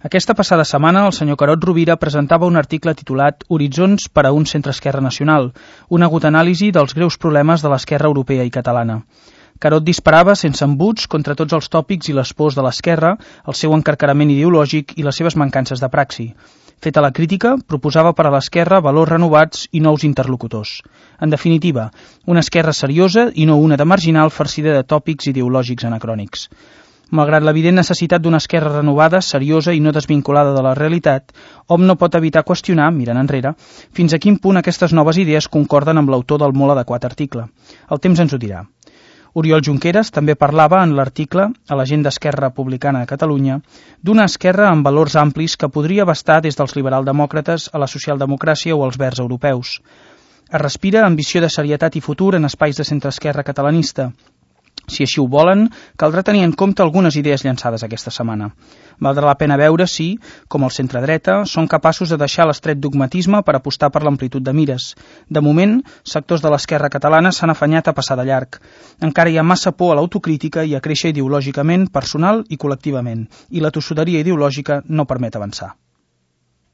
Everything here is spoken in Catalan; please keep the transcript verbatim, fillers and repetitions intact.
Aquesta passada setmana, el senyor Carod Rovira presentava un article titulat Horitzons per a un centre-esquerra nacional, una aguda anàlisi dels greus problemes de l'esquerra europea i catalana. Carod disparava sense embuts contra tots els tòpics i les pors de l'esquerra, el seu encarcarament ideològic i les seves mancances de praxi. Feta la crítica, proposava per a l'esquerra valors renovats i nous interlocutors. En definitiva, una esquerra seriosa i no una de marginal farcida de tòpics ideològics anacrònics. Malgrat l'evident necessitat d'una esquerra renovada, seriosa i no desvinculada de la realitat, hom no pot evitar qüestionar, mirant enrere, fins a quin punt aquestes noves idees concorden amb l'autor del molt adequat article. El temps ens ho dirà. Oriol Junqueras també parlava en l'article a l'Agenda Esquerra Republicana de Catalunya d'una esquerra amb valors amplis que podria abastar des dels liberaldemòcrates a la socialdemocràcia o als verds europeus. Es respira ambició de serietat i futur en espais de centre-esquerra catalanista. Si així ho volen, caldrà tenir en compte algunes idees llançades aquesta setmana. Valdrà la pena veure si, com el centre-dreta, són capaços de deixar l'estret dogmatisme per apostar per l'amplitud de mires. De moment, sectors de l'esquerra catalana s'han afanyat a passar de llarg. Encara hi ha massa por a l'autocrítica i a créixer ideològicament, personal i col·lectivament, i la tossuderia ideològica no permet avançar.